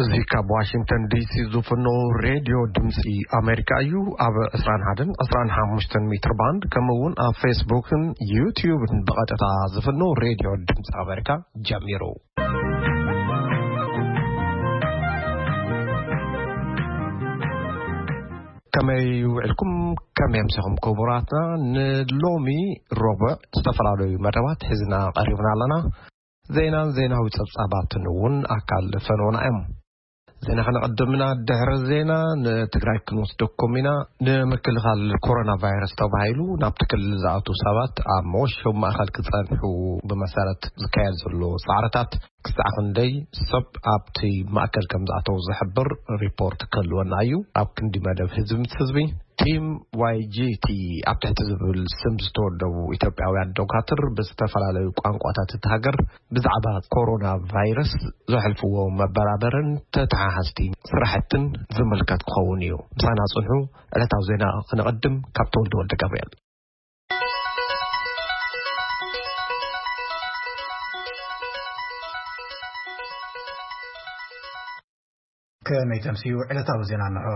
እዚ ካብ ዋሽንግተን ዲሲ ዝፍኖ ሬድዮ ድምፂ ኣሜሪካ እዩ። ኣብ ዕስራን ሓደን ዕስራን ሓሙሽተን ሜትር ባንድ፣ ከምኡ እውን ኣብ ፌስቡክን ዩትዩብን ብቐጥታ ዝፍኖ ሬድዮ ድምፂ ኣሜሪካ ጀሚሩ። ከመይ ውዕልኩም? ከመይ ኣምሲኹም ክቡራትና? ንሎሚ ረቡዕ ዝተፈላለዩ መደባት ሒዝና ቀሪብና ኣለና። ዜናን ዜናዊ ጸብጻባትን እውን ኣካል ፈኖና እዮም። ዜና ከነቐድምና ድሕሪ ዜና ንትግራይ ክንወስደኩም ኢና። ንምክልኻል ኮሮና ቫይረስ ተባሂሉ ናብቲ ክልል ዝኣቱ ሰባት ኣብ መወሸቢ ማእኸል ክጸንሑ ብመሰረት ዝካየድ ዘሎ ጻዕርታት ክሳዕ ክንደይ ሰብ ኣብቲ ማእከል ከም ዝኣተው ዝሕብር ሪፖርት ክህልወና እዩ። ኣብ ክንዲ መደብ ህዝቢ ምስ ህዝቢ፣ ቲም ዋይጂቲ ኣብ ትሕቲ ዝብል ስም ዝተወደቡ ኢትዮጵያውያን ዶካትር ብዝተፈላለዩ ቋንቋታት እቲ ሃገር ብዛዕባ ኮሮና ቫይረስ ዘሕልፍዎ መበራበርን ተተሓሓዝቲ ስራሕትን ዝምልከት ክኸውን እዩ። ምሳና ጽንሑ። ዕለታዊ ዜና ክነቐድም ካብ ተወልደ ወልደ ገብርኤል። ከመይ ተምስዩ? ዕለታዊ ዜና እንሆ።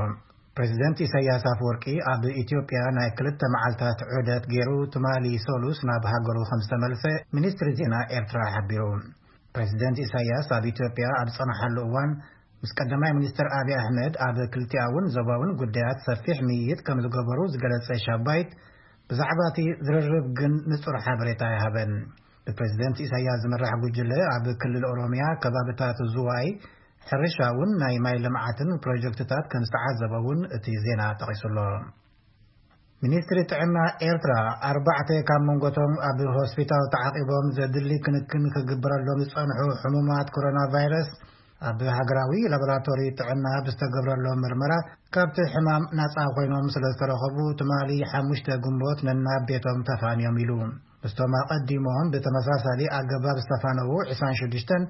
ፕሬዚደንት ኢሳያስ ኣፈወርቂ ኣብ ኢትዮጵያ ናይ ክልተ መዓልታት ዑደት ገይሩ ትማሊ ሰሉስ ናብ ሃገሩ ከም ዝተመልሰ ሚኒስትሪ ዜና ኤርትራ ሓቢሩ። ፕሬዚደንት ኢሳያስ ኣብ ኢትዮጵያ ኣብ ዝጸንሓሉ እዋን ምስ ቀዳማይ ሚኒስትር ኣብይ ኣሕመድ ኣብ ክልቲኣውን ዞባውን ጉዳያት ሰፊሕ ምይይጥ ከም ዝገበሩ ዝገለጸ ሻባይት፣ ብዛዕባ እቲ ዝርርብ ግን ንጹር ሓበሬታ ኣይሃበን። ብፕሬዚደንት ኢሳያስ ዝምራሕ ጉጅለ ኣብ ክልል ኦሮሚያ ከባብታት ዝዋይ ሕርሻ እውን ናይ ማይ ልምዓትን ፕሮጀክትታት ከም ዝተዓዘበ እውን እቲ ዜና ጠቒሱ ኣሎ። ሚኒስትሪ ጥዕና ኤርትራ ኣርባዕተ ካብ መንጎቶም ኣብ ሆስፒታል ተዓቒቦም ዘድሊ ክንክን ክግበረሎም ዝጸንሑ ሕሙማት ኮሮና ቫይረስ ኣብ ሃገራዊ ላቦራቶሪ ጥዕና ብዝተገብረሎም ምርመራ ካብቲ ሕማም ናጻ ኮይኖም ስለ ዝተረኸቡ ትማሊ ሓሙሽተ ግንቦት ነናብ ቤቶም ተፋንዮም ኢሉ። ምስቶም ኣቐዲሞም ብተመሳሳሊ ኣገባብ ዝተፋነዉ ዕስራን ሽዱሽተን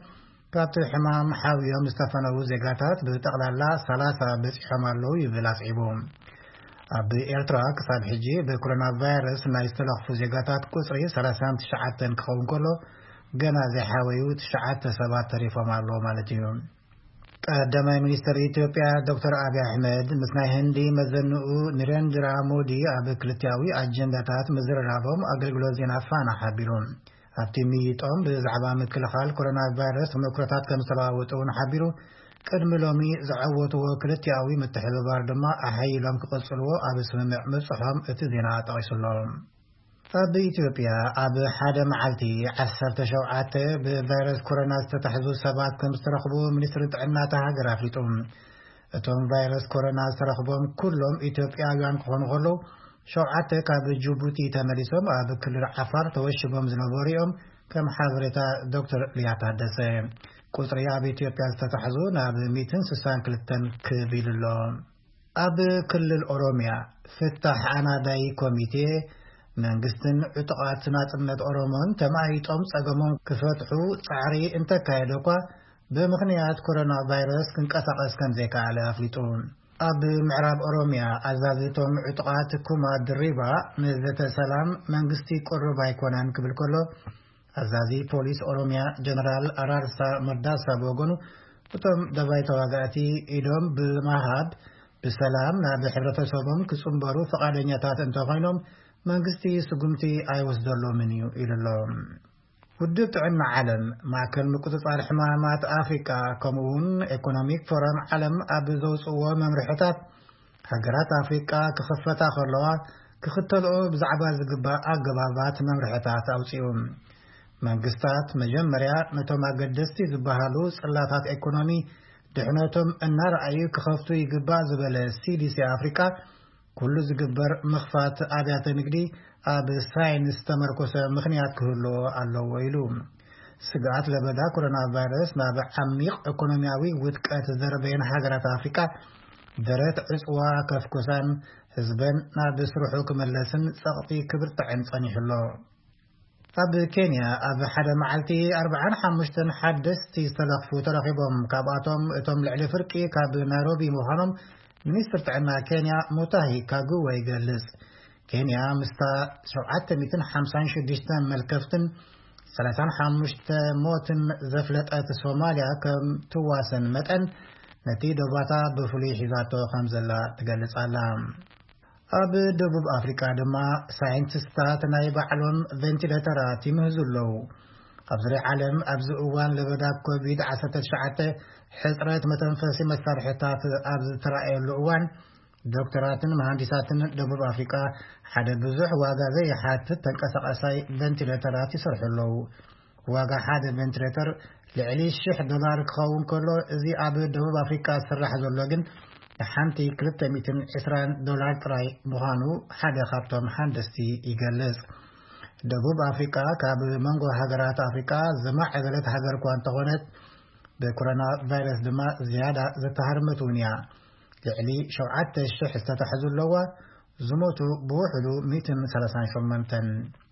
ካብቲ ሕማም ሓውዮም ዝተፈነዉ ዜጋታት ብጠቕላላ ሰላሳ በጺሖም ኣለዉ ይብል ኣስዒቡ። ኣብ ኤርትራ ክሳብ ሕጂ ብኮሮና ቫይረስ ናይ ዝተለኽፉ ዜጋታት ቁጽሪ ሰላሳን ትሽዓተን ክኸውን ከሎ፣ ገና ዘይሓወዩ ትሽዓተ ሰባት ተሪፎም ኣለዉ ማለት እዩ። ቀዳማይ ሚኒስትር ኢትዮጵያ ዶክተር ኣብይ ኣሕመድ ምስ ናይ ህንዲ መዘንኡ ኒረንድራ ሞዲ ኣብ ክልቲያዊ ኣጀንዳታት ምዝርራቦም ኣገልግሎት ዜና ፋና ሓቢሩ። ኣብቲ ምይይጦም ብዛዕባ ምክልኻል ኮሮና ቫይረስ ተመክሮታት ከም ዝተለዋወጡ እውን ሓቢሩ። ቅድሚ ሎሚ ዝዓወትዎ ክልቲኣዊ ምትሕብባር ድማ ኣሓይሎም ክቐጽልዎ ኣብ ስምምዕ ምብጽሖም እቲ ዜና ጠቒሱ ኣሎ። ኣብ ኢትዮጵያ ኣብ ሓደ መዓልቲ ዓሰርተ ሸውዓተ ብቫይረስ ኮሮና ዝተታሕዙ ሰባት ከም ዝተረኽቡ ሚኒስትሪ ጥዕና እታ ሃገር ኣፍሊጡ። እቶም ቫይረስ ኮሮና ዝተረኽቦም ኩሎም ኢትዮጵያውያን ክኾኑ ከለዉ፣ ሸውዓተ ካብ ጅቡቲ ተመሊሶም ኣብ ክልል ዓፋር ተወሽቦም ዝነበሩ እዮም፣ ከም ሓበሬታ ዶክተር ሊያ ታደሰ። ቁጽሪ ኣብ ኢትዮጵያ ዝተታሕዙ ናብ ሚእትን ስሳን ክልተን ክብ ኢሉ ኣሎ። ኣብ ክልል ኦሮሚያ ፍታሕ ኣናዳይ ኮሚቴ መንግስትን ዕጡቓት ናጽነት ኦሮሞን ተማይጦም ጸገሞም ክፈትሑ ጻዕሪ እንተካየደ እኳ፣ ብምኽንያት ኮሮና ቫይረስ ክንቀሳቐስ ከም ዘይከኣለ ኣፍሊጡ። ኣብ ምዕራብ ኦሮሚያ ኣዛዚ እቶም ዕጡቓት ኩማ ድሪባ ንዘተ ሰላም መንግስቲ ቅሩብ ኣይኮነን ክብል ከሎ፣ ኣዛዚ ፖሊስ ኦሮሚያ ጀነራል ኣራርሳ መርዳሳ ብወገኑ፣ እቶም ደባይ ተዋጋእቲ ኢዶም ብምሃብ ብሰላም ናብ ሕብረተሰቦም ክጽንበሩ ፍቓደኛታት እንተኾይኖም፣ መንግስቲ ስጉምቲ ኣይወስደሎምን እዩ ኢሉ ኣሎ። ውድብ ጥዕና ዓለም፣ ማእከል ምቁጽጻር ሕማማት ኣፍሪቃ፣ ከምኡ እውን ኤኮኖሚክ ፎረም ዓለም ኣብ ዘውጽእዎ መምርሕታት፣ ሃገራት ኣፍሪቃ ክኽፈታ ከለዋ ክኽተልኦ ብዛዕባ ዝግባእ ኣገባባት መምርሕታት ኣውጺኡ። መንግስታት መጀመርያ ነቶም ኣገደስቲ ዝበሃሉ ጽላታት ኤኮኖሚ ድሕነቶም እናረኣዩ ክኸፍቱ ይግባእ ዝበለ ሲዲሲ ኣፍሪቃ፣ ኩሉ ዝግበር ምኽፋት ኣብያተ ንግዲ ኣብ ሳይንስ ዝተመርኮሰ ምኽንያት ክህልዎ ኣለዎ ኢሉ። ስግኣት ለበዳ ኮሮና ቫይረስ ናብ ዓሚቕ ኢኮኖሚያዊ ውድቀት ዝደርበየን ሃገራት ኣፍሪቃ፣ ደረት ዕጽዋ ከፍኩሳን ህዝበን ናብ ስርሑ ክመለስን ጸቕጢ ክብርትዐን ጸኒሑ ኣሎ። ኣብ ኬንያ ኣብ ሓደ መዓልቲ ኣርብዓን ሓሙሽተን ሓደስቲ ዝተለኽፉ ተረኺቦም። ካብኣቶም እቶም ልዕሊ ፍርቂ ካብ ናይሮቢ ምዃኖም ሚኒስትር ጥዕና ኬንያ ሙታሂ ካጉወ ይገልጽ። ኬንያ ምስታ ሸውዓተ ሚእትን ሓምሳን ሽዱሽተን መልከፍትን ሰላሳን ሓሙሽተ ሞትን ዘፍለጠት ሶማልያ ከም ትዋሰን መጠን፣ ነቲ ዶባታ ብፍሉይ ሒዛቶ ከም ዘላ ትገልጽ ኣላ። ኣብ ደቡብ ኣፍሪቃ ድማ ሳይንቲስታት ናይ ባዕሎም ቬንቲሌተራት ይምህዙ ኣለዉ። ኣብ ዙርያ ዓለም ኣብዚ እዋን ለበዳ ኮቪድ ዓሰርተ ትሽዓተ ሕጽረት መተንፈሲ መሳርሕታት ኣብ ዝተራእየሉ እዋን፣ ዶክተራትን መሃንዲሳትን ደቡብ ኣፍሪቃ ሓደ ብዙሕ ዋጋ ዘይሓትት ተንቀሳቓሳይ ቬንቲሌተራት ይሰርሑ ኣለዉ። ዋጋ ሓደ ቬንቲሌተር ልዕሊ ሽሕ ዶላር ክኸውን ከሎ፣ እዚ ኣብ ደቡብ ኣፍሪቃ ዝስራሕ ዘሎ ግን ንሓንቲ ክልተ ሚእትን ዕስራን ዶላር ጥራይ ምዃኑ ሓደ ካብቶም ሃንደስቲ ይገልጽ። ደቡብ ኣፍሪቃ ካብ መንጎ ሃገራት ኣፍሪቃ ዝማዕበለት ሃገር እኳ እንተኾነት፣ ብኮሮና ቫይረስ ድማ ዝያዳ ዝተሃርመት እውን እያ። ልዕሊ ሸውዓተ ሽሕ ዝተታሕዙ ኣለዋ፣ ዝሞቱ ብውሕዱ ሚእትን ሰላሳን ሸሞንተን።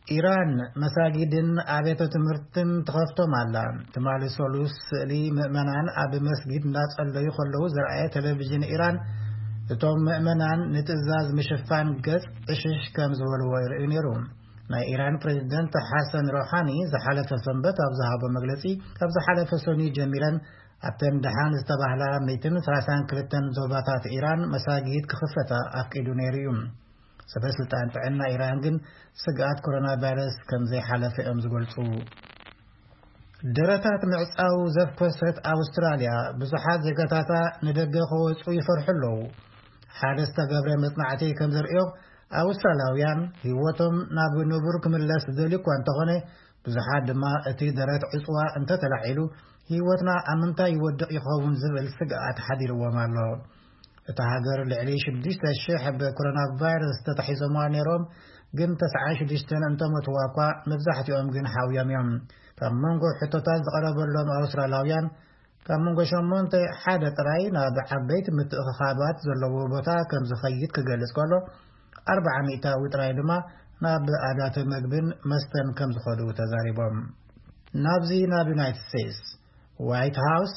ኢራን መሳጊድን ኣብያተ ትምህርትን ትኸፍቶም ኣላ። ትማሊ ሰሉስ ስእሊ ምእመናን ኣብ መስጊድ እናጸለዩ ከለዉ ዘርኣየ ቴሌቪዥን ኢራን፣ እቶም ምእመናን ንትእዛዝ ምሽፋን ገጽ ዕሽሽ ከም ዝበልዎ ይርእዩ ነይሩ። ናይ ኢራን ፕሬዝደንት ሓሰን ሮሓኒ ዝሓለፈ ሰንበት ኣብ ዝሃቦ መግለጺ፣ ካብ ዝሓለፈ ሰኑይ ጀሚረን ኣብተን ደሓን ዝተባህላ ሚእትን ሰላሳን ክልተን ዞባታት ኢራን መሳጊድ ክኽፈታ ኣፍቂዱ ነይሩ እዩ። ሰበ ስልጣን ጥዕና ኢራን ግን ስግኣት ኮሮና ቫይረስ ከም ዘይሓለፈ እዮም ዝገልጹ። ደረታት ምዕጻው ዘፍኮሰት ኣውስትራልያ ብዙሓት ዜጋታታ ንደገ ክወጹ ይፈርሑ ኣለዉ። ሓደ ዝተገብረ መጽናዕቲ ከም ዘርእዮ፣ ኣውስትራልያውያን ህይወቶም ናብ ንቡር ክምለስ ዝደልዩ እኳ እንተኾነ፣ ብዙሓት ድማ እቲ ደረት ዕጽዋ እንተተላዒሉ ህይወትና ኣብ ምንታይ ይወድቕ ይኸውን ዝብል ስግኣት ሓዲርዎም ኣሎ። እታ ሃገር ልዕሊ ሽዱሽተ ሽሕ ብኮሮና ቫይረስ ተታሒዞምዋ ነይሮም፣ ግን ተስዓን ሽዱሽተን እንተሞትዋ እኳ፣ መብዛሕትኦም ግን ሓውዮም እዮም። ካብ መንጎ ሕቶታት ዝቐረበሎም ኣውስትራልያውያን፣ ካብ መንጎ ሸሞንተ ሓደ ጥራይ ናብ ዓበይቲ ምትእኽኻባት ዘለዎ ቦታ ከም ዝኸይድ ክገልጽ ከሎ፣ ኣርብዓ ሚእታዊ ጥራይ ድማ ናብ ኣብያተ መግብን መስተን ከም ዝኸዱ ተዛሪቦም። ናብዚ ናብ ዩናይትድ ስቴትስ፣ ዋይት ሃውስ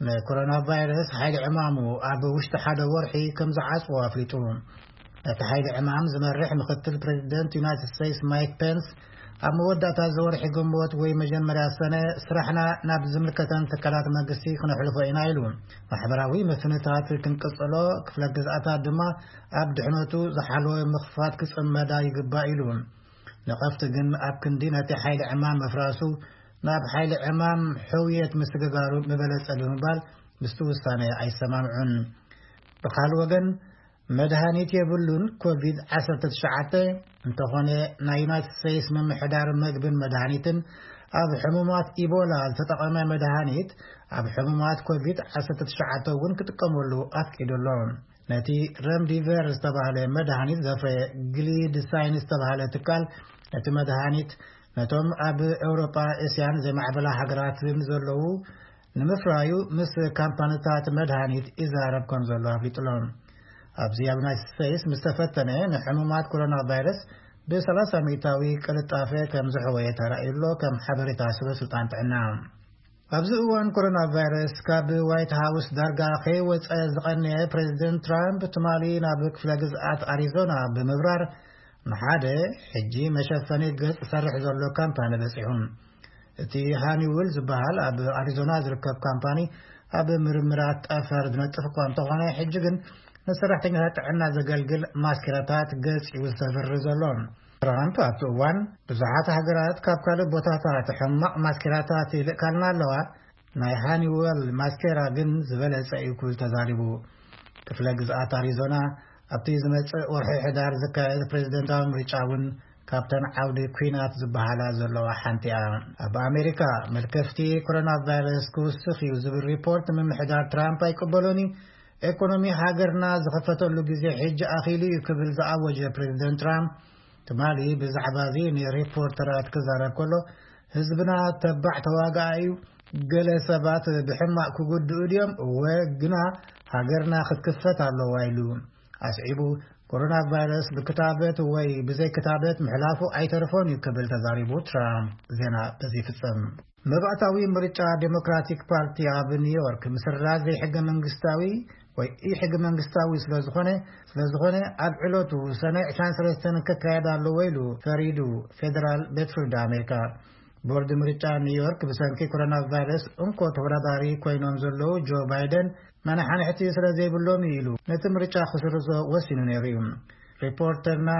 ንኮሮና ቫይረስ ሓይሊ ዕማሙ ኣብ ውሽጢ ሓደ ወርሒ ከም ዝዓጽዎ ኣፍሊጡ። ነቲ ሓይሊ ዕማም ዝመርሕ ምኽትል ፕሬዚደንት ዩናይትድ ስቴትስ ማይክ ፔንስ፣ ኣብ መወዳእታ እዚ ወርሒ ግንቦት ወይ መጀመርያ ሰነ ስራሕና ናብ ዝምልከተን ትካላት መንግስቲ ክነሕልፎ ኢና ኢሉ። ማሕበራዊ መፍትንታት ክንቅጽሎ፣ ክፍለ ግዝኣታት ድማ ኣብ ድሕነቱ ዝሓለወ ምኽፋት ክጽመዳ ይግባእ ኢሉ። ነቐፍቲ ግን ኣብ ክንዲ ነቲ ሓይሊ ዕማም ምፍራሱ፣ ናብ ሓይሊ ዕማም ሕውየት ምስግጋሩ ምበለጸ ብምባል ምስቲ ውሳነ ኣይሰማምዑን። ብኻል ወገን፣ መድሃኒት የብሉን ኮቪድ ዓሰርተ ትሽዓተ፣ እንተኾነ ናይ ዩናይትድ ስቴትስ ምምሕዳር መግብን መድሃኒትን ኣብ ሕሙማት ኢቦላ ዝተጠቐመ መድሃኒት ኣብ ሕሙማት ኮቪድ ዓሰርተ ትሽዓተ እውን ክጥቀመሉ ኣፍቂዱ ኣሎ። ነቲ ረምዲቨር ዝተባህለ መድሃኒት ዘፍረየ ግሊድ ሳይንስ ዝተባህለ ትካል፣ ነቲ መድሃኒት ነቶም ኣብ ኤውሮጳ፣ እስያን ዘይማዕበላ ሃገራትን ዘለዉ ንምፍራዩ ምስ ካምፓኒታት መድሃኒት ይዛረብ ከም ዘሎ ኣፍሊጡ ኣሎ። ኣብዚ ኣብ ዩናይትድ ስቴትስ ምስ ተፈተነ፣ ንሕሙማት ኮሮና ቫይረስ ብ ሰላሳ ሚእታዊ ቅልጣፈ ከም ዝሕወየ ተራእዩ ኣሎ፣ ከም ሓበሬታ ስበ ስልጣን ጥዕና። ኣብዚ እዋን ኮሮና ቫይረስ ካብ ዋይት ሃውስ ዳርጋ ከይወጸ ዝቐነየ ፕሬዚደንት ትራምፕ፣ ትማሊ ናብ ክፍለ ግዝኣት ኣሪዞና ብምብራር ንሓደ ሕጂ መሸፈኒ ገጽ ዝሰርሕ ዘሎ ካምፓኒ በጺሑ። እቲ ሃኒውል ዝበሃል ኣብ ኣሪዞና ዝርከብ ካምፓኒ ኣብ ምርምራት ጠፈር ዝነጥፍ እኳ እንተኾነ፣ ሕጂ ግን ንሰራሕተኛታት ጥዕና ዘገልግል ማስኬራታት ገጽ እዩ ዝተፍሪ ዘሎ። ትራምፕ ኣብቲ እዋን፣ ብዙሓት ሃገራት ካብ ካልእ ቦታታት ሕማቕ ማስኬራታት ይልእካልና ኣለዋ፣ ናይ ሃኒወል ማስኬራ ግን ዝበለጸ እዩ ክብል ተዛሪቡ። ክፍለ ግዝኣት ኣሪዞና ኣብቲ ዝመጽእ ወርሒ ሕዳር ዝካየድ ፕሬዚደንታዊ ምርጫ እውን ካብተን ዓውዲ ኲናት ዝበሃላ ዘለዋ ሓንቲ እያ። ኣብ ኣሜሪካ፣ መልከፍቲ ኮሮና ቫይረስ ክውስኽ እዩ ዝብል ሪፖርት ምምሕዳር ትራምፕ ኣይቅበሎን እዩ። ኤኮኖሚ ሃገርና ዝኸፈተሉ ግዜ ሕጂ ኣኺሉ እዩ ክብል ዝኣወጀ ፕሬዚደንት ትራምፕ፣ ትማሊ ብዛዕባ እዚ ንሪፖርተራት ክዛረብ ከሎ፣ ህዝብና ተባዕ ተዋጋኣ እዩ፣ ገለ ሰባት ብሕማቕ ክጉድኡ ድዮም? እወ፣ ግና ሃገርና ክትክፈት ኣለዋ ኢሉ። ኣስዒቡ፣ ኮሮና ቫይረስ ብክታበት ወይ ብዘይ ክታበት ምሕላፉ ኣይተርፎን እዩ ክብል ተዛሪቡ። ትራምፕ ዜና በዚ ይፍጸም። መባእታዊ ምርጫ ዴሞክራቲክ ፓርቲ ኣብ ኒውዮርክ ምስራዝ ዘይሕገ መንግስታዊ ወይ ኢ ሕገ መንግስታዊ ስለ ዝኾነ፣ ስለ ዝኾነ ኣብ ዕለቱ ሰነ ዕስራን ሰለስተን ክካየድ ኣለዎ ኢሉ ፈሪዱ ፌደራል ቤት ፍርዲ ኣሜሪካ። ቦርድ ምርጫ ኒውዮርክ ብሰንኪ ኮሮና ቫይረስ እንኮ ተወዳዳሪ ኮይኖም ዘለዉ ጆ ባይደን መናሓንሕቲ ስለ ዘይብሎም እዩ ኢሉ ነቲ ምርጫ ክስርዞ ወሲኑ ነይሩ እዩ። ሪፖርተርና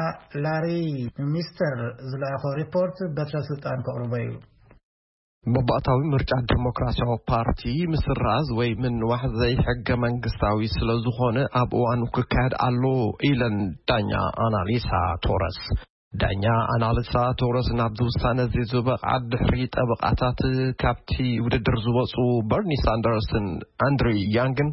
ላሪ ሚስተር ዝለኣኾ ሪፖርት በትረ ስልጣን ከቕርቦ እዩ። መባእታዊ ምርጫ ዲሞክራሲያዊ ፓርቲ ምስራዝ ወይ ምንዋሕ ዘይሕገ መንግስታዊ ስለ ዝኾነ ኣብ እዋኑ ክካየድ ኣሎ ኢለን ዳኛ ኣናሊሳ ቶረስ። ዳኛ ኣናሊሳ ቶረስ ናብዚ ውሳነ እዚ ዝበቕዓ ድሕሪ ጠበቓታት ካብቲ ውድድር ዝወፁ በርኒ ሳንደርስን ኣንድሪ ያንግን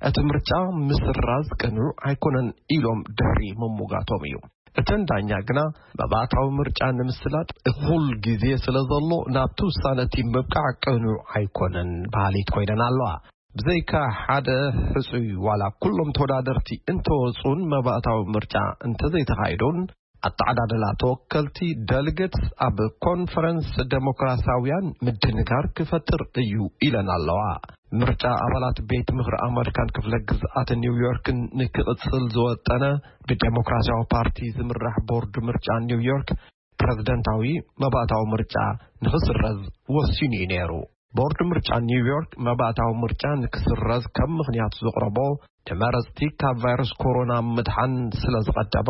እቲ ምርጫ ምስራዝ ቅኑዕ ኣይኮነን ኢሎም ድሕሪ ምሙጋቶም እዩ። እተን ዳኛ ግና መባእታዊ ምርጫ ንምስላጥ እኹል ግዜ ስለ ዘሎ ናብቲ ውሳነ እቲ ምብቃዕ ቅኑዕ ኣይኮነን በሃሊት ኮይነን ኣለዋ። ብዘይካ ሓደ ሕጹይ ዋላ ኩሎም ተወዳደርቲ እንተወጹን መባእታዊ ምርጫ እንተዘይተኻይዱን ኣተዓዳድላ ተወከልቲ ደልገትስ ኣብ ኮንፈረንስ ደሞክራሲያውያን ምድንጋር ክፈጥር እዩ ኢለን ኣለዋ። ምርጫ ኣባላት ቤት ምኽሪ ኣመሪካን ክፍለ ግዝኣት ኒውዮርክን ንክቕጽል ዝወጠነ ብዴሞክራሲያዊ ፓርቲ ዝምራሕ ቦርድ ምርጫ ኒውዮርክ ፕረዚደንታዊ መባእታዊ ምርጫ ንኽስረዝ ወሲኑ እዩ ነይሩ። ቦርድ ምርጫ ኒውዮርክ መባእታዊ ምርጫ ንክስረዝ ከም ምኽንያት ዘቕረቦ ንመረፅቲ ካብ ቫይረስ ኮሮና ምድሓን ስለ ዝቐደመ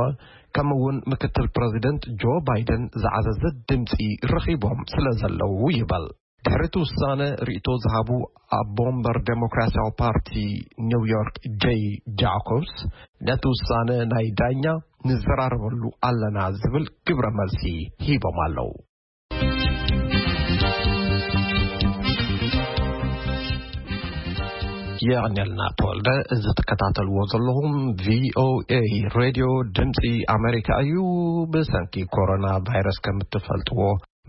ከምኡ እውን ምክትል ፕረዚደንት ጆ ባይደን ዝዓዘዘ ድምፂ ረኺቦም ስለ ዘለዉ ይበል። ድሕሪ እቲ ውሳነ ርእይቶ ዝሃቡ ኣቦ ወንበር ዴሞክራሲያዊ ፓርቲ ኒውዮርክ ጀይ ጃኮብስ ነቲ ውሳነ ናይ ዳኛ ንዘራረበሉ ኣለና ዝብል ግብረ መልሲ ሂቦም ኣለዉ። የቐንየልና ተወልደ። እዚ ትከታተልዎ ዘለኹም ቪኦኤ ሬድዮ ድምፂ ኣሜሪካ እዩ። ብሰንኪ ኮሮና ቫይረስ ከም እትፈልጥዎ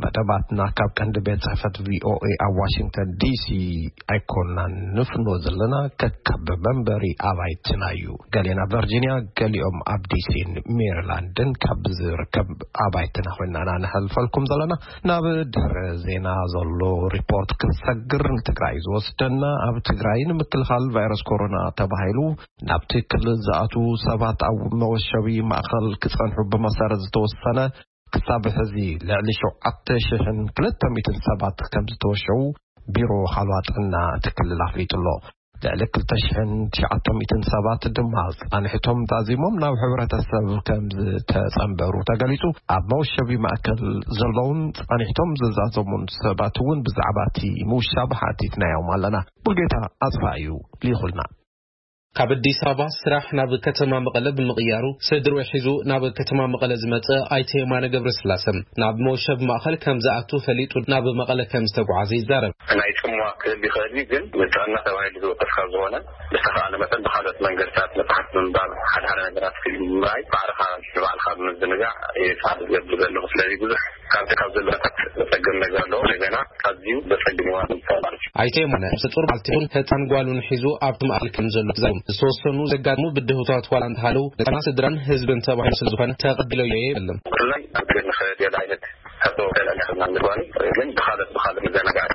መደባትና ካብ ቀንዲ ቤት ጽሕፈት ቪኦኤ ኣብ ዋሽንግተን ዲሲ ኣይኮናን ንፍኖ ዘለና፣ ከካብ መንበሪ ኣባይትና እዩ። ገሌና ቨርጂኒያ፣ ገሊኦም ኣብ ዲሲን ሜሪላንድን ካብ ዝርከብ ኣባይትና ኮይና ኢና ነሕልፈልኩም ዘለና። ናብ ድሕሪ ዜና ዘሎ ሪፖርት ክንሰግር ንትግራይ ዝወስደና፣ ኣብ ትግራይ ንምክልኻል ቫይረስ ኮሮና ተባሂሉ ናብቲ ክልል ዝኣትዉ ሰባት ኣብ መወሸቢ ማእኸል ክጸንሑ ብመሰረት ዝተወሰነ ክሳብ ሕዚ ልዕሊ ሸውዓተ ሽሕን ክልተ ሚእትን ሰባት ከም ዝተወሸቡ ቢሮ ሓለዋ ጥዕና እቲ ክልል ኣፍሊጡ ኣሎ። ልዕሊ ክልተ ሽሕን ትሽዓተ ሚእትን ሰባት ድማ ጻንሒቶም ዛዚሞም ናብ ሕብረተሰብ ከም ዝተጸንበሩ ተገሊጹ። ኣብ መወሸቢ ማእከል ዘለውን ጻንሒቶም ዝዛዘሙን ሰባት እውን ብዛዕባ እቲ ምውሻብ ሓቲትናዮም ኣለና። ሙሉጌታ ኣጽፋ እዩ ልኢኹልና። ካብ ኣዲስ ኣበባ ስራሕ ናብ ከተማ መቐለ ብምቕያሩ ስድርኡ ሒዙ ናብ ከተማ መቐለ ዝመጸ ኣይተ የማነ ገብረስላሰ ናብ መወሸቢ ማእኸል ከም ዝኣቱ ፈሊጡ ናብ መቐለ ከም ዝተጓዓዘ ይዛረብ። ናይ ጽምዋ ክህሉ ይኽእል እዩ፣ ግን ንጥዕና ተባሂሉ ዝወሰድ ካብ ዝኾነ ብዝተኻእለ መጠን ብኻልኦት መንገድታት መጽሓፍ ምንባብ፣ ሓደ ሓደ ነገራት ፊልም ምርኣይ፣ ባዕልኻ ንባዕልኻ ብምዝንጋዕ እየ ጻዕሪ ዝገብር ዘለኹ። ስለዚ ብዙሕ ካብቲ ካብ ዘለታት ዘጸግም ነገር ኣለዎ። እንደገና ኣዝዩ ዘጸግም እዋን እዩ ማለት እዩ። ኣይተ የማነ ንጹር ባልቴቱን ህጻን ጓሉን ሒዙ ኣብቲ ማእከል ከም ዘሎ ተዛሪቦም። ዝተወሰኑ ዘጋጥሙ ብድሆታት ዋላ እንተሃለዉ ንጥዕና ስድራን ህዝብን ተባሂሉ ስለ ዝኾነ ተቐቢለዮ እየ ይብል። ብፍላይ ኣብ ገድሊ ከደል ዓይነት ሕቶ ከልዕል ይኽእልና ምግባር እዩ። ግን ብኻልኦት ብኻልኦት መዘናጋዕቲ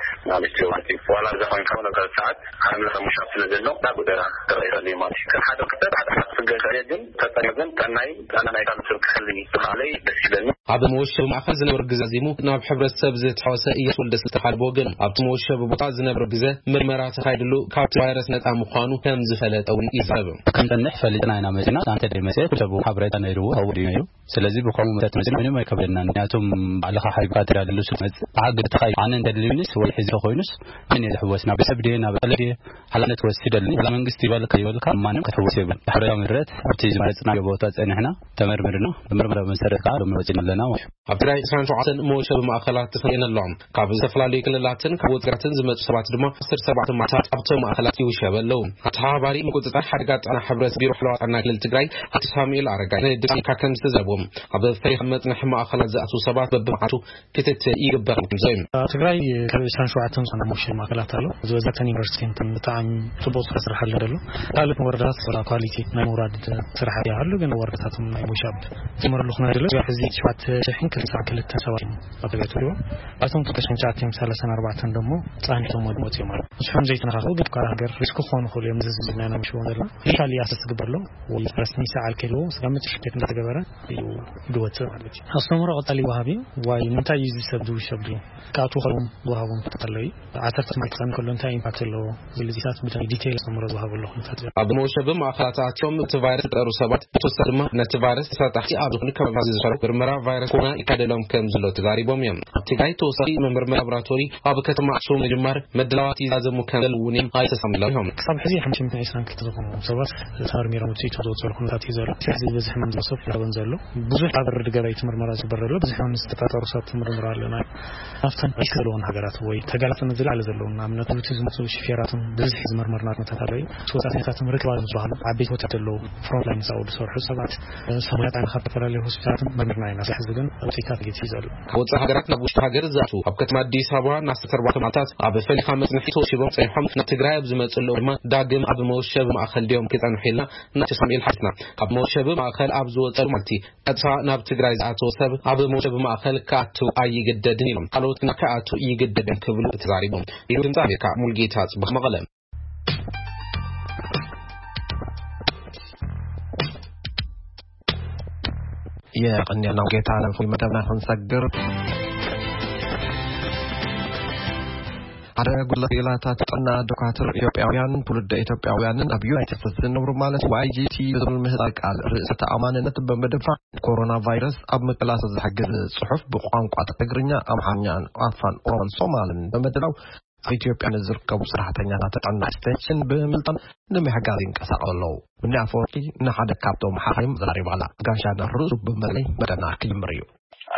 ማለት እዩ። ዋላ እዛ ኮይንካ እውን ኣብ ካልእ ሰዓት ሓምለ ምሻብ ስለ ዘሎ ናብ ጎደና ክረአ ይኽእል እዩ ማለት እዩ። ከም ሓደ ክስተት ሓደ ሓቂ ክገ ይኽእል እየ፣ ግን ተጠንቀቕ ግን ጥዕናይ ጥዕና ናይ ካልእ ሰብ ክሕልን እዩ። ብኻለይ ደስ ይብለኒ። ኣብ መወሸቢ ማእኸል ዝነበረ ግዜ ኣዚሙ ናብ ሕብረተሰብ ዝተሓወሰ እያሱ ወልደስላሴ ተሓልቦ ግን ኣብቲ መወሸቢ ቦታ ዝነበረ ግዜ ምርመራ ተኻይድሉ ካብቲ ቫይረስ ነፃ ምዃኑ ከም ዝፈለጠ እውን ይዛረብ። ከም ዝጸንሕ ፈሊጥና ኢና መጺና። ኣንተ ደይ መጽእ ኩሉ ሰብ ሓበሬታ ነይርዎ፣ ኣብኡ ድዩ ነይሩ? ስለዚ ብከምኡ መሰረት መጺና ምንም ኣይከብደናን። ምክንያቱም ባዕልኻ ሓቢርካ ትዳለሉ ስለ መጽእ ብሓቂ ብትኻይ ኣነ እንተድልዩንስ ወይ ሒዙ ኮይኑስ ምን እየ ዝሕወስ? ናብ ሰብ ድየ ናብ ቀለ ድየ ሓላፍነት ወሲደሉ? ዋላ መንግስቲ ይበልካ ይበልካ ማንም ክትሕወስ የብሉን። ብሕብረታዊ መሰረት ኣብቲ ዝመረጽናዮ ቦታ ጸኒሕና ተመርሚርና። ብመርመራ መሰረት ከዓ ሎሚ ወጺና ኣለና ማለት እዩ። ኣብ ትግራይ ዕስራን ሸውዓተን መወሸቢ ማእኸላት ተሰሪዐን ኣለዋ። ካብ ዝተፈላለዩ ክልላትን ካብ ወጻኢታትን ዝመጹ ሰባት ድማ ዓሰርተ ኣርባዕተ መዓልታት ኣብቶም ማእኸላት ይውሸቡ ኣለዉ። ኣተሓባባሪ ምቁጽጻር ሓደጋ ጥዕና ሕብረት ቢሮ ሓለዋ ጥዕና ክልል ትግራይ ኣቶ ሳሙኤል ኣረጋይ ንድምፂ ኣሜሪካ ከም ዝተዛረቦ ኣብ ፈሪኻ መጽንሒ ማእኸላት ዝኣትዉ ሰባት በብመዓልቱ ክትትል ይግበር ከም ዘሎ እዩ። ኣብ ትግራይ ካብ ዕስራን ሸውዓተን ዝኾና መወሸቢ ማእኸላት ኣሎ። ዝበዝሐተን ዩኒቨርሲቲ እንትን ብጣዕሚ ጽቡቕ ስራሕ ስራሕ ኣሎ ዘሎ። ካልኦት ወረዳታት ስራ ኳሊቲ ናይ ምውራድ ስራሕ ይሃሉ፣ ግን ወረዳታትም ናይ ምውሻብ ዝመረሉ ኩነ ዘሎ። ሕዚ ሸውዓተ ሽሕን ክልተ ክልተን ሰባት እዮም ኣብ ትግራይ ተወሊዎም። ኣብቶም ክልተ ሽሕን ትሽዓተ ሚእትን ሰላሳን ኣርባዕተን ደሞ ጻኒቶም ወዲሞት እዮም ማለት። ንስሖም ዘይተነኻኽኡ ግን ትካል ሃገር ሪስክ ክኾኑ ክኽእሉ እዮም። እዚ ዝብልና ኢና ምሽቦም ዘለና። ሊካሊ ኣሰስ ዝግበርሎም ወይ ፈረስትን ይሰዓል ከልዎ ስጋብ መጨረሻ ኬት እንዳተገበረ እዩ። ድወፅእ ማለት እዩ። ኣስተምሮ ቀጣሊ ወሃቢ ዋይ ንምንታይ እዩ እዚ ሰብ ድውሸብ ድዩ? ካብቱ ከሎም ወሃቦም ክተለዩ ዓሰርተ ማይ ክፀን ከሎ እንታይ ኢምፓክት ኣለዎ? ዝልዚታት ብታይ ዲቴይል ኣስተምሮ ዝሃቡ ኣለኹ። ኣብ መውሸቢ ማእኸላት ኣትዮም እቲ ቫይረስ ዝጠሩ ሰባት ብተወሳኺ ድማ ነቲ ቫይረስ ተሳጣሕቲ ኣብ ዝኾኑ ከባቢታት ዝሰርሑ ምርመራ ቫይረስ ኮሮና ይካደሎም ከም ዘሎ ተዛሪቦም እዮም። ኣብ ትግራይ ተወሳኺ ምምርምር ላቦራቶሪ ኣብ ከተማ ኣክሱም ምጅማር መድላዋት ይዛዘሙ ከም ዘለዉ እውን እዮም ኣይተሳሚሎም እዮም። ክሳብ ሕዚ ሓሙሽተ ሚእትን ዕስራን ክልተ ዝኾኑ ሰባት ተመርሚሮም ውፅኢቶም ዘውፅሉ ኩነታት እዩ ዘሎ። ሕዚ ብዝሒ ሕማም ዝወሰብ ይረኸበን ዘሎ ብዙሕ ኣብ ርዲ ገባይ ትምርመራ ዝግበር ዘሎ ብዙሕ ሕማም ዝተጠርጠሩ ሰባት ትምርምር ኣለና። ኣብተን ሪስክ ዘለዎን ሃገራት ወይ ተጋላፅነት ዝለዓለ ዘለዎም ንኣብነት ብቲ ዝመፁ ሽፌራትን ብዝሒ ዝመርመርና ኩነታት ኣለዩ። ወፃእተኛታትን ርክባት ዝበሃሉ ዓበይቲ ሆቴላት ዘለዉ ፍሮንትላይን ሳኡ ዝሰርሑ ሰባት ሰሙያት ኣነ ካብ ዝተፈላለዩ ሆስፒታላትን መርምርና ኢና። ሕዚ ግን ውፅኢታት ጌት እዩ ዘሎ። ካብ ወፃኢ ሃገራት ናብ ውሽጢ ሃገር ዝኣቱ ኣብ ከተማ ኣዲስ ኣበባ ንኣስታት ኣርባዕተ መዓልታት ኣብ ፈሊኻ መፅንሒ ተወሲቦም ፀኒሖም ናብ ትግራይ ኣብ ዝመፅሉ ድማ ዳግም ኣብ መወሸቢ ማእኸል ድዮም ክፀንሑ ኢልና ናቸው ሳሙኤል ሓትና ካብ መወሸቢ ማእኸል ኣብ ዝወፀሉ ማለቲ ቀጥታ ናብ ትግራይ ዝኣተወ ሰብ ኣብ መወሸቢ ማእኸል ክኣቱ ኣይግደድን ኢሎም ካልኦት ግና ክኣቱ ይግደድን ክብሉ ተዛሪቦም። ይህ ድምፂ ኣሜሪካ ሙልጌታ ፅባህ መቐለ። የቐንየልና ጌታ ናብ ፍሉይ መደብና ክንሰግር። ሓደ ጉጅለ ክኢላታት ጥዕና ዶካትር ኢትዮጵያውያን ትውልደ ኢትዮጵያውያንን ኣብ ዩናይትድ ስቴትስ ዝነብሩ ማለት ዋይጂቲ ብዝብል ምህጻር ቃል ርእሰ ተኣማንነት ብምድፋዕ ኮሮና ቫይረስ ኣብ ምቅላስ ዝሕግዝ ጽሑፍ ብቋንቋ ትግርኛ፣ ኣምሓርኛን ኣፋን ኦሮሞን ሶማልን ብምድላው ኣብ ኢትዮጵያ ንዝርከቡ ሰራሕተኛታት ጥዕና ኤክስቴንሽን ብምልጣን ንምሕጋዝ ይንቀሳቐሱ ኣለዉ። ምኒ ኣፈወርቂ ንሓደ ካብቶም ሓኻይም ዘራሪባ ኣላ። ጋሻ ንርእሱ ብምርለይ መደና ክጅምር እዩ።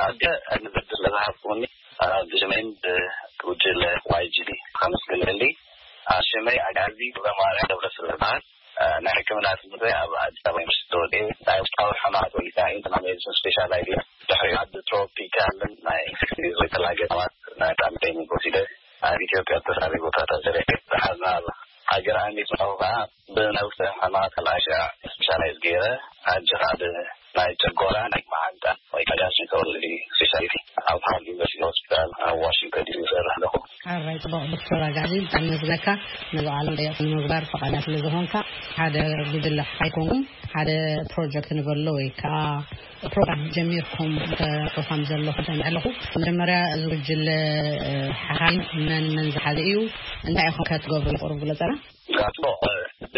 ኣደ ንብድር ለዝሃብኩኒ ብሽመይን ብጉጅለ ዋይጂዲ ከመስግነሊ። ሽመይ ኣጋዚ ገብረማርያም ገብረስላሴ ይበሃል። ናይ ሕክምና ትምህርተይ ኣብ ኣዲስ ኣበባ ዩኒቨርሲቲ ተወዲኤ ናይ ውሽጣዊ ሕማማት ወይ ከዓ ኢንተርናል ሜዲሲን ስፔሻላይዝ እየ። ድሕሪኡ ኣብ ትሮፒካል ናይ እንግሊዝ ወይ ተላገ ሕማማት ናይ ብጣዕሚ ትሬኒንግ ወሲደ ኣብ ኢትዮጵያ ዝተፈላለዩ ቦታታት ሰሪሐ። ድሓር ናብ ሃገር ኣሜሪካ ከዓ ብናይ ውሽጣዊ ሕማማት ካልኣይ ሻዕ ስፔሻላይዝ ገይረ። ሕጂ ከዓ ናይ ጨጎራ ናይ መዓንጣ ወይ ጋስትሮንተሮሎጂ ስፔሻሊቲ ኣብ ሃዋርድ ዩኒቨርሲቲ ሆስፒታል ኣብ ዋሽንግተን ዲሲ ይሰርሕ ኣለኹ። ሓራይ ጽቡቕ ዶክተር ኣጋዚ ብጣዕሚ ነመስግነካ ነዚ ቃለ መጠይቕ ንምግባር ፈቓድና ስለ ዝኾንካ። ሓደ ጉጅለ ኣይኮንኩም ሓደ ፕሮጀክት ንበሎ ወይ ከዓ ፕሮግራም ጀሚርኩም ተሕልፉ ከም ዘለኹም ሰሚዐ ኣለኹ። መጀመርያ እዚ ጉጅለ ሓኻይም መን መን ዝሓዘ እዩ? እንታይ ኢኹም ከ ትገብሩ? ቁሩብ ግለጸና። ጽቡቕ። እቲ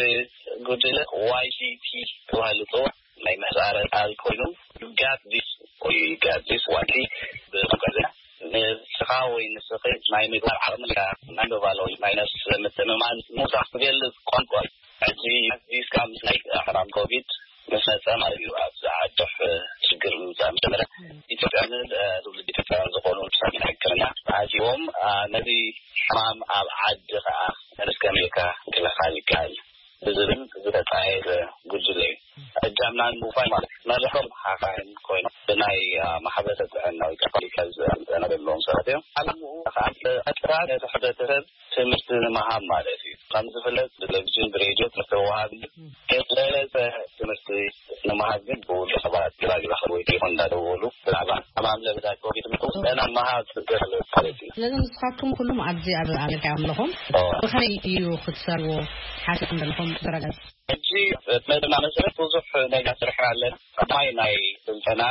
ጉጅለ ዋይሲቲ ተባሂሉ ዝጽዋዕ ናይ ምህጻረ ቃል ኮይኑ ዩ ጋት ዲስ ወይ ዩ ጋት ዲስ ዋይቲ ብቋንቋ ንስኻ ወይ ንስኺ ናይ ምግባር ዓቕሚ ኣለካ። ናይ ምባል ወይ ናይ ነፍሲ ምትእምማን ምውሳኽ ዝገልጽ ቋንቋ እዩ። ሕጂ ዲስ ካብ ምስ ናይ ሕማም ኮቪድ ምስ መጸ ማለት እዩ ኣብዚ ዓድሕ ሽግር ምምጻእ ምስ ጀመረ ኢትዮጵያንን ትውልድ ኢትዮጵያውያን ዝኾኑ ሰብ ሕክምና ተኣኪቦም ነዚ ሕማም ኣብ ዓዲ ከኣ ንስከመይካ ክልኻል ይከኣል ብዝብል ዝተጣየሰ ጉጅለ እዩ። እጃምና ንምውፋይ ማለት መርሖም ሓኻይም ኮይኖም ብናይ ማሕበረ ጥዕና ወይ ከዓ ፖለቲካዊ ዘንጠና ዘለዎም ሰባት እዮም። ዓላምኡ ከዓ ቀጥታ ነቲ ሕብረተሰብ ትምህርቲ ንምሃብ ማለት እዩ። ከም ዝፍለጥ ብቴሌቪዥን ብሬድዮ ትምህርቲ ወሃቢ ግን ዝበለፀ ትምህርቲ ንምሃብ ግን ብውልቀ ሰባት ግራግራ ወይ ቴሌፎን እንዳደወሉ ብዛዕባ ሕማም ለበዳ ኮቪድ ምጥውስጠና ምሃብ ዝገለፅ ማለት እዩ። ስለዚ ንስኻትኩም ኩሉም ኣብዚ ኣብ ኣሜሪካ ኣለኹም ብኸመይ እዩ ክትሰርዎ ሓሲብኩም ዘለኹም? ተረጋግጽ። ሕጂ መደብና መሰረት ብዙሕ ነገር ስርሕና ኣለና። ቀዳማይ ናይ ስልጠና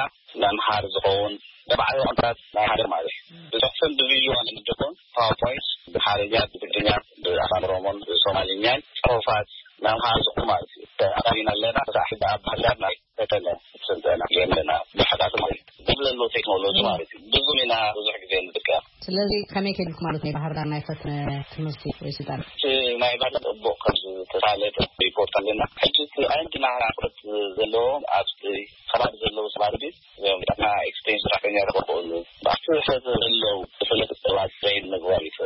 መምሃር ዝኸውን ተባዕዮ ኮንትራት ናይ ሓደ ማለት እዩ። ብጽሑፍን ብቪድዮን ንደኮን ፓወርፖይንት ብሓርኛ ብትግርኛ ብኣፋን ኦሮሞን ብሶማሊኛን ጽሑፋት መምሃር ዝኹ ማለት እዩ። ኣባቢና ኣለና። ክሳዕ ሕጂ ኣብ ባህርዳር ናይ ፈተነ ስልጠና የለና። ብሕታት ማለት እዩ። ብዘሎ ቴክኖሎጂ ማለት እዩ። ብዙ ኢና ብዙሕ ግዜ ንጥቀም። ስለዚ ከመይ ከይድልኩ ማለት ናይ ባህርዳር ናይ ፈተነ ትምህርቲ ወይ ስልጠና? እቲ ናይ ባህርዳር ጽቡቕ ከም ዝተሳለጠ ሪፖርት ኣለና። ሕጂ እቲ ኣንቲ ናህራ ፍረት ዘለዎም ኣብቲ ከባቢ ዘለዉ ሰባት ግን እዚኦም ጥዕና ኤክስቴንሽን ሰራሕተኛ ክኾኑ ብኣቲ ሰብ ዘለዉ ዝፍለጥ ሰባት ትሬን ምግባር እዩ።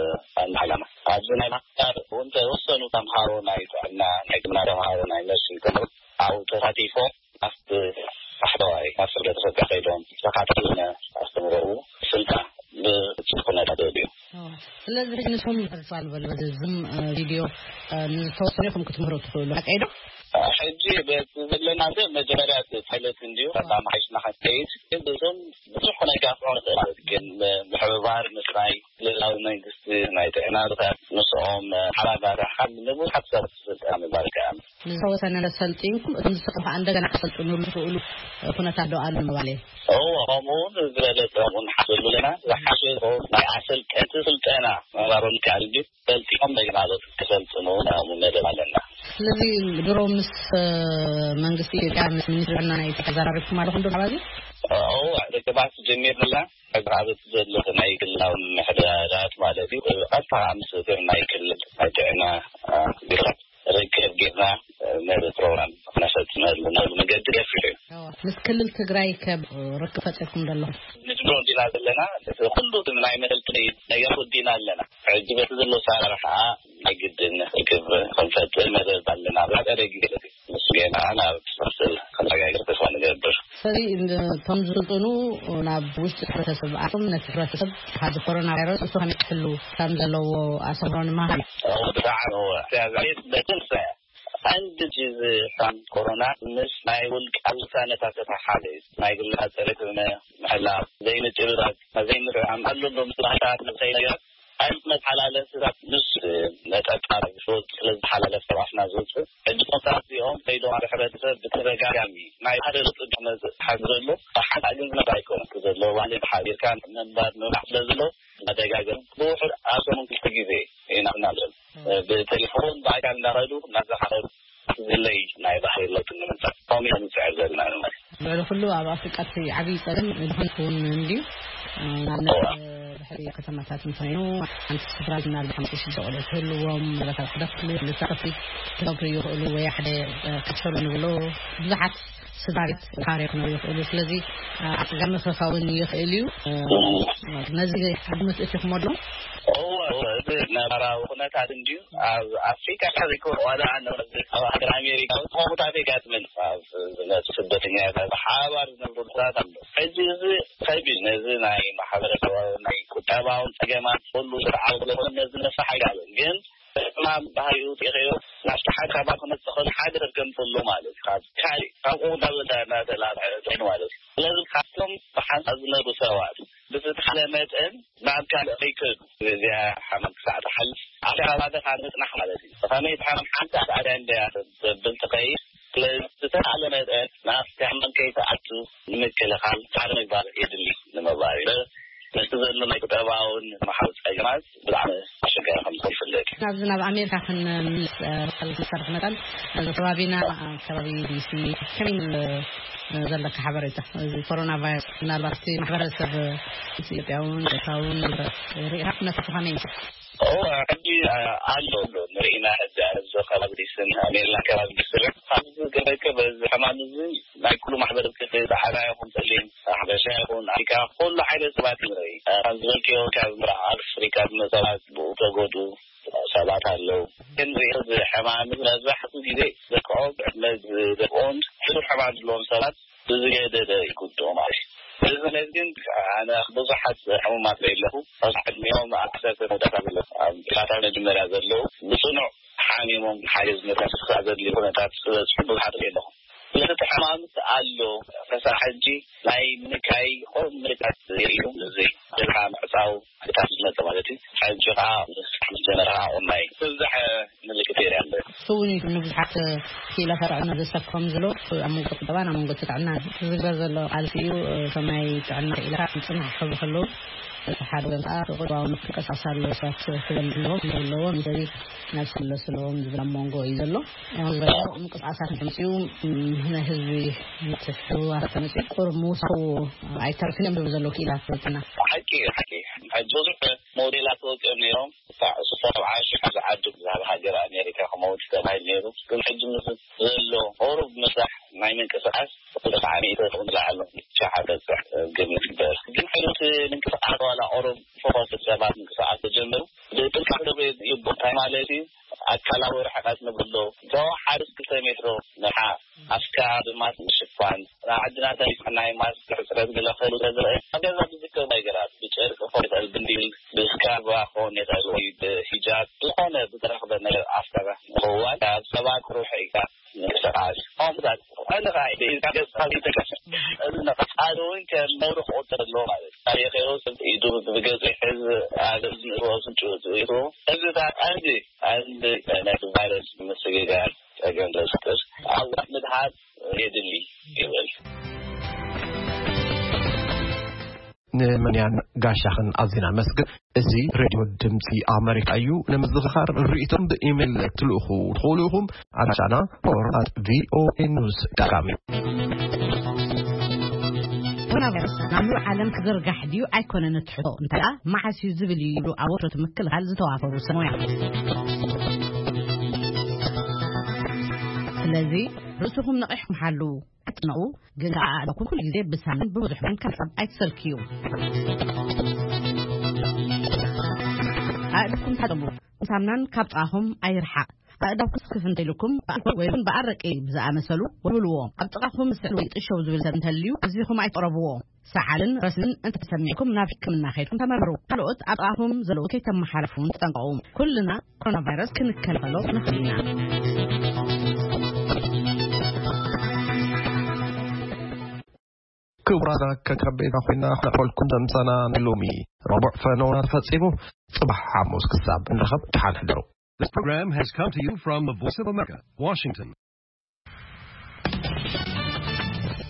ኣንድ ዓላማ ኣብዚ ናይ ማስተር እውን ተወሰኑ ተምሃሮ ናይ ጥዕና ናይ ሕክምና ተምሃሮ ናይ ነርሲንግ ተምሃሮ ኣብኡ ተሳቲፎም ኣብቲ ታሕተዋይ ኣብ ስርደ ተፈቃ ከይዶም ተኻታትነ ኣስተምረኡ ስልጣ ብፅቡቅ ኩነታት እዩ። ስለዚህ ንስኹም ተስፋ ንበል በዚ ዝም ቪድዮ ንዝተወሰነ ኢኹም ክትምህሩ ትኽእሉ ሓቀይ ዶ? ሕጂ በቲ ዘለና ሰብ መጀመርያ ፓይለት እንድዩ ካብ ማሓይሽና ሓቀይት ግን እዞም ብዙሕ ናይ ጋፍዖ ማለት ግን ምሕብባር ምስናይ ክልላዊ መንግስቲ ናይ ጥዕና ብታት ምስኦም ሓባባር ሓም ንብዙሓት ሰባት ስልጣን ምባል ከኣ ንዝተወሰነ ሰልጢንኩም፣ እቶም ዝስርሑ ከዓ እንደገና ክሰልጥኑሉ ዝኽእሉ ኩነታት ዶ ኣሎ ምባል እየ? እዎ፣ ከምኡ እውን ዝበለጸ እውን ሓሰብ ኣለና። ዝሓሸ ዝኸውን ናይ ኣሰልጠንቲ ስልጠና ምንባሮም ይከኣል እንጂ፣ ሰልጢኖም እንደገና ዶ ክሰልጥኑ ናይ መደብ ኣለና። ስለዚ ድሮ ምስ መንግስቲ ኢትዮጵያ፣ ምስ ሚኒስትሪ ጥዕና ናይ ኢትዮጵያ ተዘራሪብኩም ኣለኹም ዶ? እዎ፣ ርክባት ጀሚርና። ኣብ ዘሎ ናይ ክልላዊ ምሕደራት ማለት እዩ። ቀጥታ ምስ ናይ ክልል ናይ ጥዕና ቢሮታት ርክብ ጌርና፣ ነዚ ፕሮግራም ክነፈፅመሉ ነዚ መገዲ ገፊሑ እዩ። ምስ ክልል ትግራይ ከ ርክብ ፈጢርኩም ዶ ኣለኹም? ንጅምሮ እንዲና ዘለና። ኩሉ ናይ መሰልጥኒ ነገር ወዲና ኣለና። ሕጂ በቲ ዘሎ ኣሰራርሓ ናይ ግድን ርክብ ክንፈጥር መደብ ኣለና። ብሓፀረ ግዜ ምስ ጌና ናብ ትመስል ክንረጋገር ተስፋ ንገብር። ስለዚ እቶም ዝስልጥኑ ናብ ውሽጢ ሕብረተሰብ ኣቶም ነቲ ሕብረተሰብ ካብዚ ኮሮና ቫይረስ እሱ ከመይ ክሕሉ ከም ዘለዎ ኣስተምህሮ ንምሃብ። ብጣዕሚ እወ። በትን ቀንዲ ጅዝ ሓም ኮሮና ምስ ናይ ውልቃ ውሳነታት ተተሓሓዘ እዩ። ናይ ግልና ፅሬት ምሕላው፣ ዘይምጭብባጥ፣ ዘይምርዕዓም ኣሎ። ዶ ምስ ባህልታት ንኸይ ነገር ኣይነት መተሓላለፍታት ምስ መጠጣ ዝወፅ ስለ ዝተሓላለፍ ተባስና ዝወፅእ ሕጂ ኮንታት እዚኦም ከይዶም ኣብ ሕብረተሰብ ብተደጋጋሚ ናይ ሓደ ለውጢ መፅእ ሓዚ ዘሎ ሓንቲ ግን ዝነባ ኣይኮነን ዘሎ። ባዕሊ ሓቢርካ ምንባር ምብላዕ ስለ ዘሎ መደጋገም ብውሕድ ኣብ ሰሙን ክልተ ግዜ ኢና እናብለን ብቴሌፎን ብኣካል እንዳኸዱ እናዘኻኸሩ ዝለይ ናይ ባህሪ ለውጢ ንምምፃእ ከምኡ ኢና ንፅዕር ዘለና ማለት እዩ። ልዕሊ ኩሉ ኣብ ኣፍሪቃ እቲ ዓብዪ ፀገም ድኹነት እውን እንድዩ። ንኣብነት ድሕሪ ከተማታት እንተኾይኑ ሓንቲ ስድራ ዝናል ሓሙሽተ ሽዱሽተ ቆልዑ ክህልዎም፣ ምናልባት ኣብ ሓደ ክፍሊ ክልተ ክፍሊ ክነብሩ ይኽእሉ ወይ ሓደ ክሸሉ ንብሎ ብዙሓት ስድራ ቤት ተኻርዮ ክነብሩ ይኽእሉ። ስለዚ ኣፀጋሚ ክኸውን ይኽእል እዩ። ነዚ ግምት እትኹሞ ዶ? እወ፣ እወ፣ እዚ ነባራዊ ኩነታት እንድዩ ኣብ ኣፍሪካ ዘይኮነ ዋላ ኣብ ሃገር ኣሜሪካ እውን ከምኡታት የጋጥመን። ኣብ ዝመፁ ስደተኛታት ብሓባር ዝነብሩ ሰባት ኣሎ። ሕጂ እዚ ከቢድ ነዚ ናይ ማሕበረሰባዊ ናይ ቁጠባውን ፀገማት ኩሉ ስርዓዊ ስለዝኾነ ነዚ ነፍራሕ ኣይከኣልን። ግን ሕማም ባህሪኡ ጢኸዮ ናብ ሓደ ከባቢ ክመፅእ ከሎ ሓደ ሰብ ከም ዘሎ ማለት እዩ። ካብ ካሊእ ካብኡ እንዳበዛ እናተላብዐ ኮይኑ ማለት እዩ። ስለዚ ካብቶም ብሓንሳብ ዝነብሩ ሰባት ብዝተሓለ መጠን ናብ ካልእ ከይከዱ እዚኣ ሓመም ክሳዕ ትሓልፍ ኣብቲ ከባቢ ካብ ምፅናሕ ማለት እዩ። ብኸመይ እቲ ሓመም ሓንቲ ኣትኣድያ እንድያ ዘብል ትኸይድ ስለዝተኻለ መጠን ናብቲ ሕማም ከይትኣቱ ንምክልኻል ፃዕሪ ምግባር የድሊ ንምባል እዩ። ምስቲ ዘሎ ናይ ቁጠባውን ማሕበራዊ ፀገማት ብጣዕሚ ኣሸጋሪ ከም ዝኾነ ይፍለጥ እዩ። ናብዚ ናብ ኣሜሪካ ክንምልስ እ፣ መሰል መሰርሕ መጠን እዚ ከባቢና ኣብ ከባቢ ዲሲ ከመይ እ፣ ዘለካ ሓበሬታ እዚ ኮሮና ቫይረስ ምናልባት እቲ ማሕበረሰብ ኢትዮጵያውን ኤርትራውን ሪኢኻ ኩነታቱ ከመይ እዩ? ኦ፣ ሕጂ ኣሎ ኣሎ ንርኢና ሕጂ ኣብዚ ከባቢ ዲስን ሜሪላንድ ከባቢ ዲስን ኣብዚ ገበከ በዚ ሕማም እዚ ናይ ኩሉ ማሕበረሰብ ፃዕዳ ይኹን ፀሊም ሓበሻ ይኹን ኣፍሪካ ኩሉ ዓይነት ሰባት ንርኢ። ከም ዝበልክዮ ካብ ምብራቕ ኣፍሪካ ዝመፁ ሰባት ብኡ ተጎዱ ሰባት ኣለዉ። ክንሪኦ እዚ ሕማም እዚ መብዛሕትኡ ግዜ ደቅዖም ዕድመ ዝደቅኦን ሕዱር ሕማም ዘለዎም ሰባት ብዝገደደ ይጉድኡ ማለት እዩ። እዚ ማለት ግን ኣነ ብዙሓት ሕሙማት ርኢ ኣለኹ። ኣብ ዕድሚኦም ኣብ ዓሰርተ መውዳእታ ዘለዉ ኣብ ጣታ መጀመርያ ዘለዉ ብፅኑዕ ሓሚሞም ሓገዝ መተንፈሲ ክሳዕ ዘድልዩ ኩነታት ዝበፅሑ ብዙሓት ርኢ ኣለኹ። ስለዚ እቲ ሕማም ኣሎ ክሳዕ ሕጂ ናይ ምንካይ ቆም ምልክታት የርእዩ። እዚ ጀብሃ ምዕፃው ምልክታት ዝመፀ ማለት እዩ። ሕጂ ከዓ ምስ ጀመረ ከዓ ቁናይ ዝበዝሐ ምልክት የርኢ ኣሎ። እሱ እውን እዩ ንብዙሓት ክኢላታት ጥዕና ዘሰክፎም ዘሎ ኣብ መንጎ ቁጠባን ኣብ መንጎ እቲ ጥዕናን ዝግበር ዘሎ ቃልሲ እዩ። እቶም ናይ ጥዕና ክኢላታት ፅናሕ ክብሉ ከለዉ እቲ ሓደ ወገን ከዓ ቁጠባዊ ምንቅስቃስ ኣለዎ። ሰባት ክበልዑ ኣለዎም ክነብሩ ኣለዎም። ስለዚ ናብ ስለ ስለዎም ዝብል ኣብ መንጎ እዩ ዘሎ። ዝበለ ምንቅስቃሳት እንተመፅኡ ናይ ህዝቢ ምትሕውዋስ ተመፅኡ ቁሩብ ምውሳኹ ኣይተርፍን እዮም ዝብሉ ዘለዉ ክኢላት ጥዕና። ሓቂ እዩ፣ ሓቂ እዩ። ሕጂ ብዙሕ ሞዴላት ተወፂኦም ነይሮም። ክሳዕ ሽዱሽተ ኣርባዓ ሺሕ ዝዓዱ ብዛዕባ ሃገር ኣሜሪካ ክመውት ተባሂሉ ነይሩ። ግን ሕጂ ምስ ዘሎ ቁሩብ ምሳሕ ናይ ምንቅስቃስ ክልተ ሚእቲ እውን ዝለዓሉ ሸሓተ ግምት ይግበር። ግን ሕሉት ምንቅስቃስ ዋላ ቁሩብ ፈኾስ ሰባት ምንቅስቃስ ተጀምሩ ብጥንቃቄ ክገብሩ ይግባእ። እንታይ ማለት እዩ? ኣካላዊ ርሕቀት ንብሎ ተወሓደ እስኪ ሰሚሕሮ ንሓ ኣፍካ ብማስክ ምሽፋን፣ ኣብ ዓድና ተሪፍና ናይ ማስክ ሕፅረት ገለ ክህሉ ተዝርአ፣ ኣብ ገዛ ብዝከም ነገራት፣ ብጨርቂ ክኾን ይኽእል፣ ብንዲል፣ ብስካርባ ክኾን ይኽእል፣ ወይ ብሂጃብ፣ ዝኾነ ብዝረኽበ ነገር ኣፍካ ምኽዋል፣ ካብ ሰባት ርሒቕካ ምንቅስቓስ፣ ከምኡታት፣ ኣነ ኸዓ ብኢድካ ገጽካ ዘይትንቀሳቐስ፣ እዚ ንቐጻሊ እውን ከም ነውሪ ክቑጸር ኣለዎ ማለት እዩ። ታሪኽ ሰብ ኢዱ ብገጹ ይሕዝ፣ ኣብ እዝኑ ኣፍንጭኡ ኣእትዎ፣ እዚ ኸዓ ቀንዲ፣ ቀንዲ ናይቲ ቫይረስ ምስግጋር ጸገም ዘፍጥር ኣዋት ምድሓን የድሊ ይብል። ንምንያን ጋሻኽን ኣዚና መስግን። እዚ ሬድዮ ድምፂ ኣመሪካ እዩ። ንምዝኽኻር ርእይቶም ብኢሜይል ትልእኹ ትኽእሉ ኢኹም። ኣድራሻና ሆርን ኣት ቪኦኤ ኒውስ ዳት ካም እዩ። ኮሮና ቫይረስ ናብ ሙሉእ ዓለም ክዝርጋሕ ድዩ ኣይኮነን እቲ ሕቶ፣ እንታይ ደኣ መዓስ እዩ ዝብል እዩ ይብሉ ኣብ ወርሾት ምክልኻል ዝተዋፈሩ ሰብ ሞያ። ስለዚ ርእስኹም ነቒሕኩም ሓልዉ። ኣጥንቑ፣ ግን ከኣ ኣእዳውኩም ኩሉ ግዜ ብሳሙናን ብብዙሕ ማይን ካብ ምሕጻብ ኣይትሰልክዩ። ኣእዳውኩም ተሓጸቡ፣ ሳሙናን ካብ ጥቓኹም ኣይርሓቕ። ኣእዳውኩም ስክፍ እንተኢልኩም ብኣልኮል ወይ እውን ብኣረቂ ብዝኣመሰሉ ወልውልዎ። ኣብ ጥቓኹም ዝስዕል ወይ ጥሸው ዝብል ሰብ እንተልዩ ኣዚኹም ኣይትቕረብዎ። ሰዓልን ረስንን እንተተሰሚዕኩም ናብ ሕክምና ከይድኩም ተመርምሩ። ካልኦት ኣብ ጥቓኹም ዘለዉ ከይተመሓላልፉ እውን ተጠንቀቑ። ኩልና ኮሮና ቫይረስ ክንከላኸሎ ንኽእል ኢና። ክቡራትና ከከም ቤትና ኮይና ክነቕርበልኩም ዘምሰና ናይ ሎሚ ረቡዕ ፈነውና ተፈጺሙ። ጽባሕ ሓሙስ ክሳብ እንረኸብ ደሓን ሕደሩ። This program has come to you from the Voice of America, Washington.